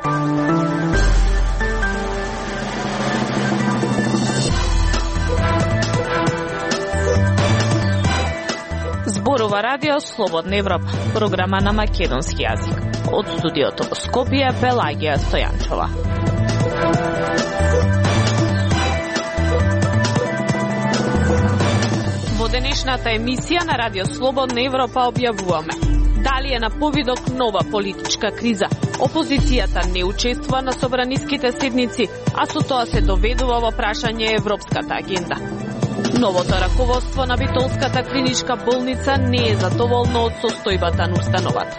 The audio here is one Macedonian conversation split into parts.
Зборува Радио Слободна Европа, програма на македонски јазик. Од студиото во Скопје, Пелагија Стојанчова. Во денешната емисија на Радио Слободна Европа објавуваме: дали е на повидок нова политичка криза? Опозицијата не учествува на собраниските седници, а со тоа се доведува во прашање европската агенда. Новото раководство на Битолската клиничка болница не е задоволно од состојбата на установата.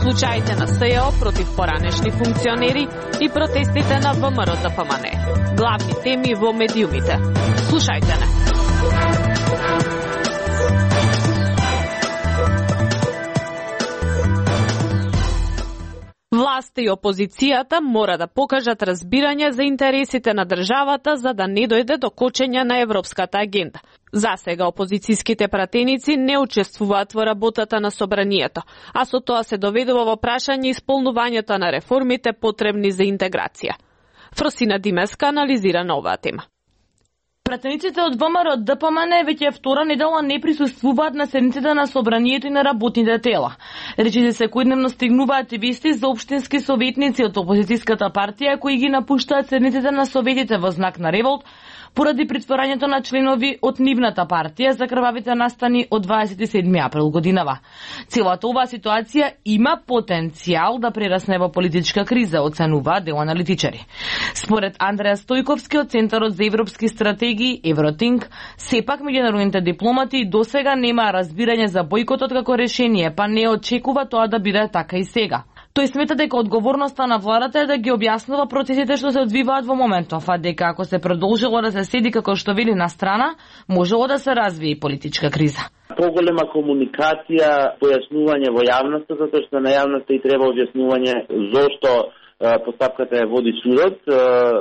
Случаите на СЈО против поранешни функционери и протестите на ВМРО-ДПМНЕ. Главни теми во медиумите. Слушајте не. Власта и опозицијата мора да покажат разбирање за интересите на државата за да не дојде до кочење на европската агенда. За сега опозицијските пратеници не учествуваат во работата на собранието, а со тоа се доведува во прашање исполнувањето на реформите потребни за интеграција. Фросина Димеска анализира на оваа тема. Пратениците од ВМРО-ДПМНЕ веќе втора недела не присуствуваат на седниците на собранието и на работните тела. Речите секојдневно стигнуваат и вести за општински советници од опозицијската партија кои ги напуштаат седниците на советите во знак на револт поради притворањето на членови од нивната партија за крвавите настани од 27 април годинава. Целата оваа ситуација има потенцијал да прерасне во политичка криза, оценуваат дел аналитичари. Според Андреа Стојковски од Центарот за европски стратегии Евротинк, сепак меѓународните дипломати досега немаа разбирање за бојкотот како решение, па не очекува тоа да биде така и сега. Тој смета дека одговорноста на владата е да ги објаснува процесите што се одвиваат во моментов, а дека ако се продолжило да се седи како што вели на страна, можело да се развие и политичка криза. Поголема комуникација, појаснување во јавноста, затоа што на јавноста и треба објаснување зошто постапката ја води судот,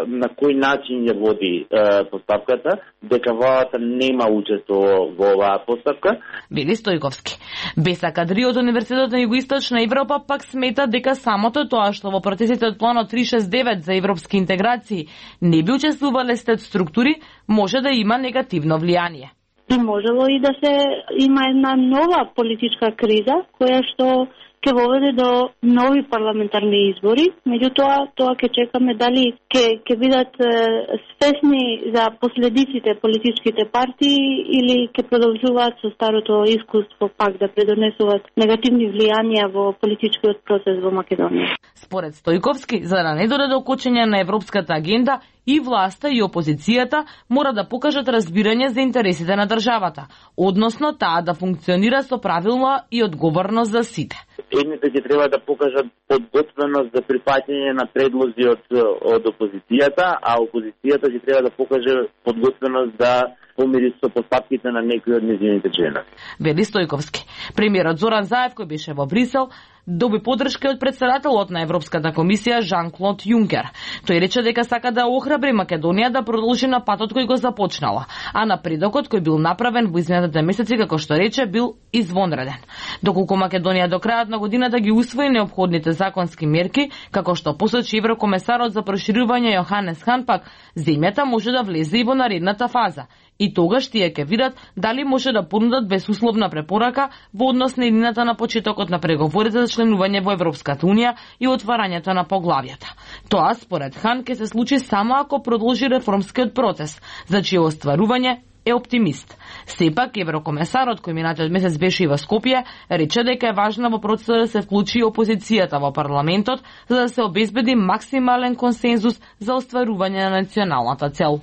на кој начин ја води постапката, дека владата нема учество во оваа постапка. Вели Стојковски. Беса Кадри од Универзитетот на Југоисточна Европа пак смета дека самото тоа што во процесите од планот 369 за европски интеграции не би учествувале стет структури, може да има негативно влијание. И можело и да се има една нова политичка криза, која што ќе воведе до нови парламентарни избори, меѓутоа тоа ќе чекаме дали ќе бидат свесни за последиците политичките партии или ќе продолжуваат со старото искуство пак да предонесуваат негативни влијанија во политичкиот процес во Македонија. Според Стојковски, за да не дојде до кочење на европската агенда, и власта и опозицијата мора да покажат разбирање за интересите на државата, односно таа да функционира со правилна и одговорност за сите. Едните ќе треба да покажат подготвеност за прифаќање на предлози од опозицијата, а опозицијата ќе треба да покаже подготвеност да помири со постапките на некои од нејзините членови. Вели Стојковски. Премиерот Зоран Заев, кој беше во Брисел, доби поддршка од претседателот на Европската комисија Жан-Клод Јункер. Тој рече дека сака да охрабри Македонија да продолжи на патот кој го започнала, а напредокот кој бил направен во изминатите месеци, како што рече, бил извонреден. Доколку Македонија до крајот на годината ги усвои неопходните законски мерки, како што посочи еврокомесарот за проширување Јоханес Хан, пак земјата може да влезе и во наредната фаза. И тогаш тие ќе видат дали може да понудат безусловна препорака во однос на едината на почетокот на преговорите за членување во Европската унија и отварањето на поглавјата. Тоа, според Хан, ќе се случи само ако продолжи реформскиот процес, за чие остварување е оптимист. Сепак, еврокомесарот, кој минатиот месец беше и во Скопје, рече дека е важно во процесот да се вклучи опозицијата во парламентот, за да се обезбеди максимален консензус за остварување на националната цел.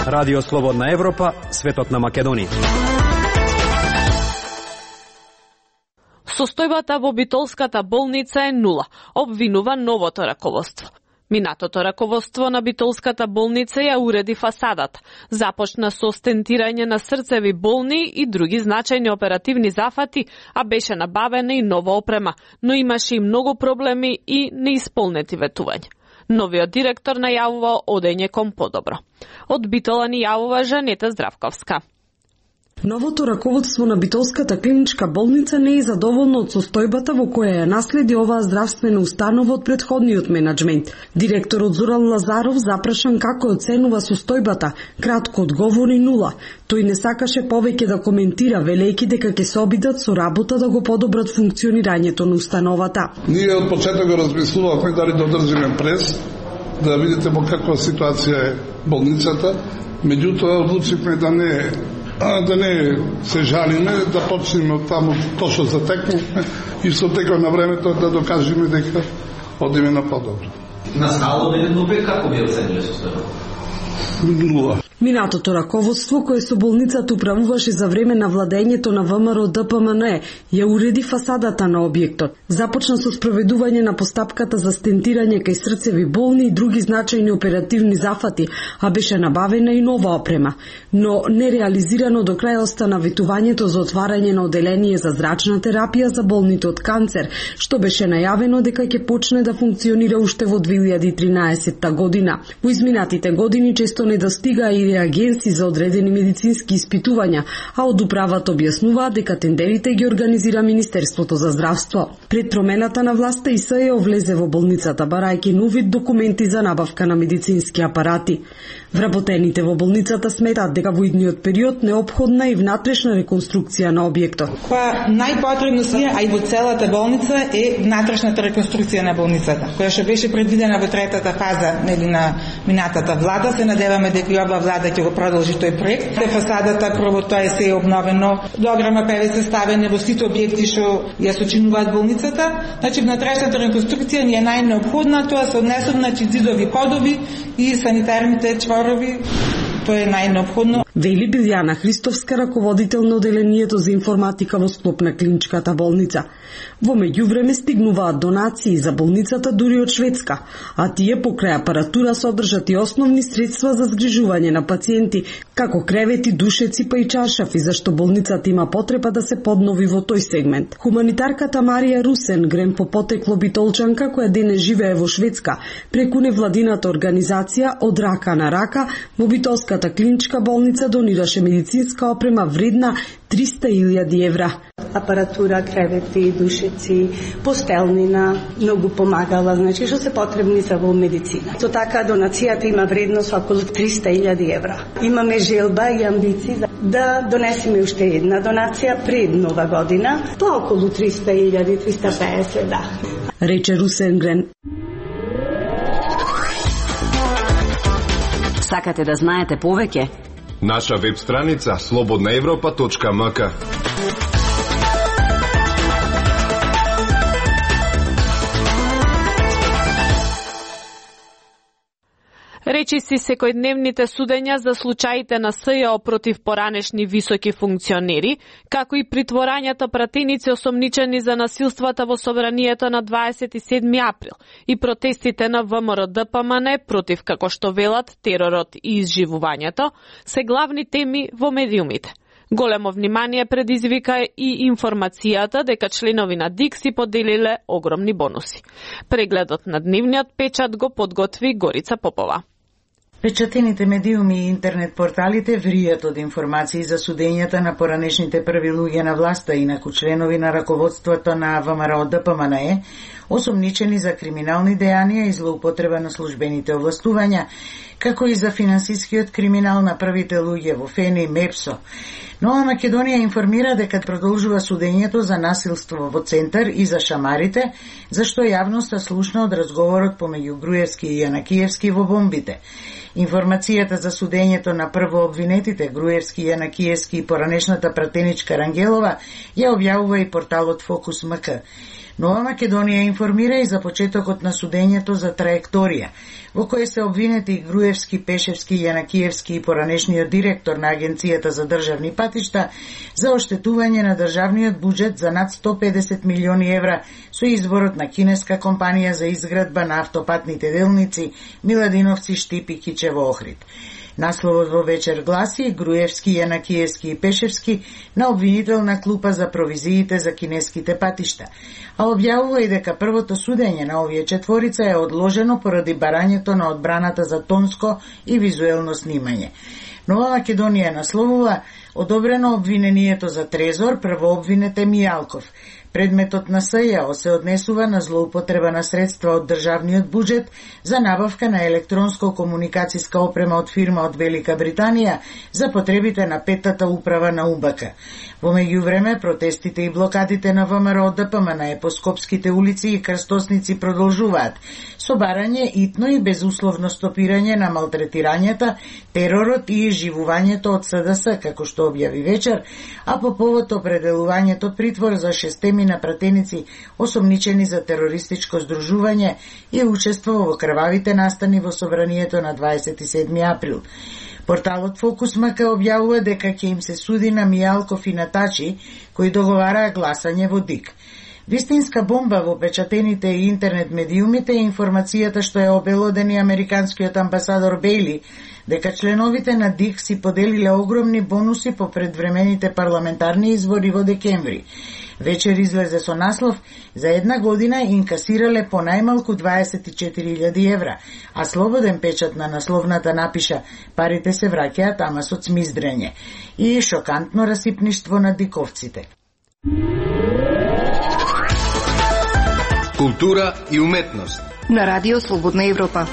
Радио Слободна Европа, светот на Македонија. Состојбата во Битолската болница е нула, обвинува новото раководство. Минатото раководство на Битолската болница ја уреди фасадата. Започна со стентирање на срцеви болни и други значајни оперативни зафати, а беше набавена и нова опрема, но имаше и многу проблеми и неисполнети ветувања. Новиот директор најавува одење кон подобро. Од Битола ни јавува Жанета Здравковска. Новото раководство на Битолската клиничка болница не е задоволно од состојбата во која ја наследи оваа здравствена установа од претходниот менаџмент. Директорот Зоран Лазаров запрашан како оценува состојбата, кратко одговори 0. Тој не сакаше повеќе да коментира, велејќи дека ќе се обидат со работа да го подобрат функционирањето на установата. Ние од почеток го размислувавме дали да одржиме прес, да видите во каква ситуација е болницата, меѓутоа одлучивме да не се жалиме, да почнеме од таму тоа што затекнувме и со текот на времето да докажеме дека одиме на подобро. На скала од 1 до 5 како би оцениле состојбата? 0. Минатото раководство, кое со болницата управуваше за време на владењето на ВМРО ДПМН, ја уреди фасадата на објектот. Започна со спроведување на постапката за стентирање кај срцеви болни и други значајни оперативни зафати, а беше набавена и нова опрема. Но нереализирано до крај остана ветувањето за отварање на оделение за зрачна терапија за болните од канцер, што беше најавено дека ќе почне да функционира уште во 2013 година. Во изминатите години често недостига и реагенси за одредени медицински испитувања, а од управата објаснуваат дека тендерите ги организира Министерството за здравство. Пред промената на власта ИСЈ влезе во болницата барајќи нови документи за набавка на медицински апарати. Вработените во болницата сметаат дека во идниот период неопходна и внатрешна реконструкција на објектот. Која најпотребно се, а и во целата болница е внатрешната реконструкција на болницата, која што беше предвидена во третата фаза на минатата влада. Се надеваме дека и ова влада ќе го продолжи тој проект. Фасадата прво тоа се е обновено, дограма ПВС ставени во сите објекти што ја сочинуваат болницата. Значи внатрешната реконструкција ни е најнеопходна, тоа се однесува на зидови подови и санитарните чворови. Тоа е најнеопходно. Вели Билјана Христовска, раководител на оделението за информатика во склоп на клиничката болница. Во меѓувреме стигнуваат донации за болницата дури од Шведска, а тие покрај апаратура содржат и основни средства за згрижување на пациенти, како кревети, душеци па и чаршафи, зашто болницата има потреба да се поднови во тој сегмент. Хуманитарката Марија Русен, грем по потекло битолчанка која денес живее во Шведска, преку невладината организација од рака на рака во Битолската клиничка болница донираше медицинска опрема вредна 300.000 евра. Апаратура, кревети, душеци, постелнина, многу помагала, значи што се потребни за во медицина. Со така донацијата има вредност околу 300.000 евра. Имаме желба и амбиции да донесеме уште една донација пред нова година, тоа околу 300.000, 350, да. Рече Русенгрен. Сакате да знаете повеќе? Наша веб страница slobodnaevropa.mk. Речиси секојдневните судења за случаите на СЈО против поранешни високи функционери, како и притворањата пратеници осомничени за насилствата во собранието на 27 април и протестите на ВМРО ДПМН против, како што велат, теророт и изживувањето, се главни теми во медиумите. Големо внимание предизвика и информацијата дека членови на ДИК си поделиле огромни бонуси. Прегледот на дневниот печат го подготви Горица Попова. Печатените медиуми и интернет порталите вријат од информации за судењата на поранешните први луѓе на власта, инаку членови на раководството на ВМРО ДПМН, осомничени за криминални дејанија и злоупотреба на службените овластувања, како и за финансискиот криминал на првите луѓе во ФЕНИ, МЕПСО. Нова Македонија информира дека продолжува судењето за насилство во Центар и за шамарите, зашто јавноста слушна од разговорот помеѓу Груевски и Јанакиевски во бомбите. Информацијата за судењето на прво обвинетите Груевски, Јанакиевски и поранешната пратеничка Рангелова ја објавува и порталот Фокус МК. Нова Македонија информира и за почетокот на судењето за траекторија, во кој се обвинети Груевски, Пешевски, Јанакиевски и поранешниот директор на Агенцијата за државни патишта за оштетување на државниот буџет за над 150 милиони евра со изборот на кинеска компанија за изградба на автопатните делници Миладиновци, Штип и Кичево, Охрид. Насловот во вечер гласи Груевски, Јанакиевски и Пешевски на обвинителна клупа за провизиите за кинеските патишта, а објавува и дека првото судење на овие четворица е одложено поради барањето на одбраната за тонско и визуелно снимање. Нова Македонија насловува Одобрено обвинението за Трезор, првообвинет е Мијалков. Предметот на СЈО се однесува на злоупотреба на средства од државниот буџет за набавка на електронско-комуникацијска опрема од фирма од Велика Британија за потребите на петтата управа на УБК. Во меѓувреме, протестите и блокадите на ВМРО ДПМНЕ по скопските улици и крстосници продолжуваат, со барање итно и безусловно стопирање на малтретирањата, теророт и живувањето од СДС, како што објави вечер, а по повод определувањето притвор за 6 напратеници осомничени за терористичко здружување и учество во крвавите настани во собранието на 27 април. Порталот Фокус МК објавува дека ќе им се суди на Мијалков и на Тачи, кои договараа гласање во ДИК. Вистинска бомба во печатените и интернет медиумите е информацијата што е обелоден и американскиот амбасадор Бейли, дека членовите на ДИК си поделиле огромни бонуси по предвремените парламентарни избори во декември. Вечер излезе со наслов: за една година инкасирале по најмалку 24.000 евра, а Слободен печат на насловната напиша: парите се враќаат, ама со цмиздрење. И шокантно расипништво на диковците. Култура и уметност на Радио Слободна Европа.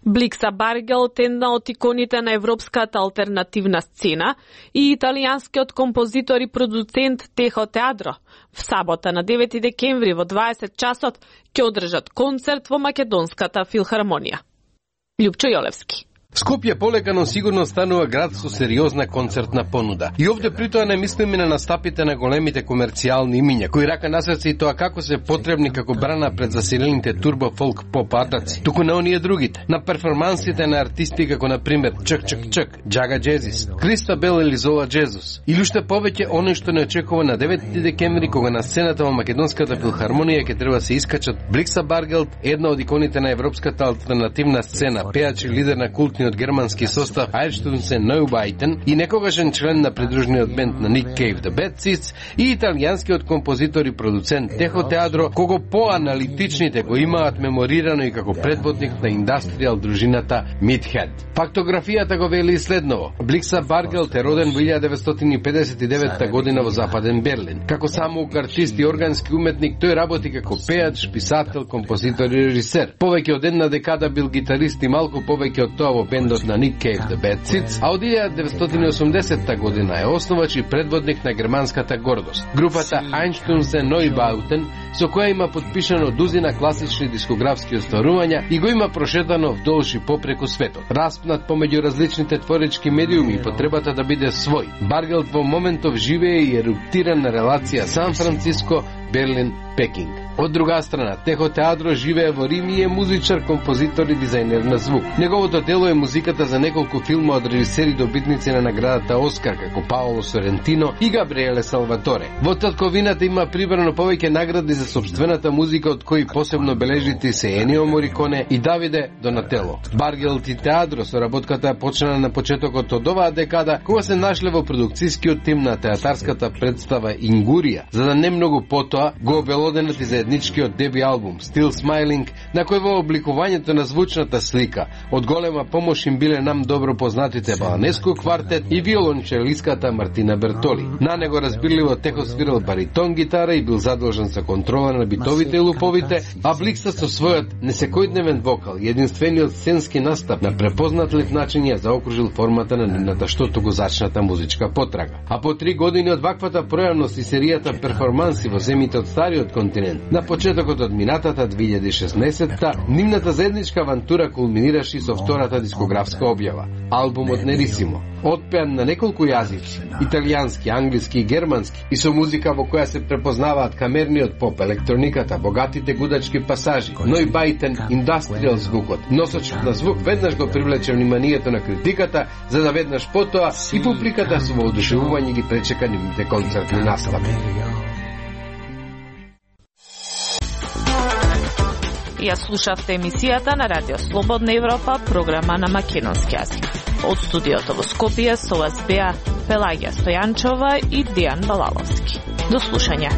Бликса Баргелт е една од иконите на европската алтернативна сцена и италијанскиот композитор и продуцент Техо Теадро в сабота на 9 декември во 20 часот ќе одржат концерт во Македонската филхармонија. Љупчо Јолевски. Скопје полека, но сигурно станува град со сериозна концертна понуда. И овде притоа не мислиме на настапите на големите комерцијални имиња, кои рака на срце и тоа како се потребни како брана пред заселените турбо фолк поп артаци. Туку на оние другите, на перформансите на артисти како на пример Чак Чак Чак, Джага Джезис, Кристабел или Зола Джезус. Или уште повеќе оној што не очекува на 9 декември, кога на сцената во Македонската филхармонија ќе треба се искачат Бликса Баргелт, една од иконите на европската алтернативна сцена, пеач и лидер на култниот германски состав Einstürzen Neubauten и некогашен член на придружниот бенд на Nick Cave The Bad Seeds и италијанскиот композитор и продуцент Техо Теадро, кого поаналитичните го имаат меморирано и како предводник на индастријал дружината Meathead. Фактографијата го вели следново: Бликса Баргелт е роден во 1959 година во Западен Берлин. Како самоук артист и органски уметник, тој работи како пеач, писател, композитор и режисер. Повеќе од една декада бил гитарист и малку повеќе од тоа во бендот на Nick Cave The Bad Seeds, а од 1980 година е основач и предводник на германската гордост, групата Einstürzen Neubauten, со која има подпишано дузина класични дискографски остварувања и го има прошетано вдолж и попреку светот. Распнат помеѓу различните творечки медиуми и потребата да биде свој, Баргелт во моментов живее и еруптира на релација Сан Франциско, Берлин, Пекинг. Од друга страна, Техо Теадро живее во Рим и е музичар, композитор и дизајнер на звук. Неговото дело е музиката за неколку филма од режисери добитници на наградата Оскар, како Паоло Сорентино и Габриеле Салваторе. Во татковината има прибрано повеќе награди за сопствената музика, од кои посебно бележити се Енио Мориконе и Давиде Донатело. Баргелт и Теадро соработката почна на почетокот од оваа декада, кога се нашле во продукцијскиот тим на театарската представа Ингурија, за да не многу потоа го обелоденат и заедничкиот деби албум Still Smiling, на кој во обликувањето на звучната слика од голема помош им биле нам добро познатите Баланеско квартет и виолончелиската Мартина Бертоли. На него разбирливо Техо свирал баритон гитара и бил задолжен за контрола на битовите и луповите, а Бликса со својот несекојдневен вокал и единствениот сценски настап на препознатлив начин ја заокружил формата на нивната што туку зачната музичка потрага. А по 3 години од ваквата пројавност и серијата перформанси во земите од стариот континент, на почетокот од минатата 2016-та, нивната заедничка авантура кулминираше со втората дискографска објава, албумот Нерисимо, отпеан на неколку јазици, италијански, англиски и германски, и со музика во која се препознаваат камерниот поп, електрониката, богатите гудачки пасажи, Neubauten, индастријал звукот. Носочот на звук веднаш го привлече вниманието на критиката, за да веднаш потоа и публиката со воодушевување ги пречека нивните концертни настапи. Ја слушавте емисијата на Радио Слободна Европа, програма на македонски јазик. Од студиото во Скопје со вас беа Пелагија Стојанчова и Дијан Балаловски. До слушање.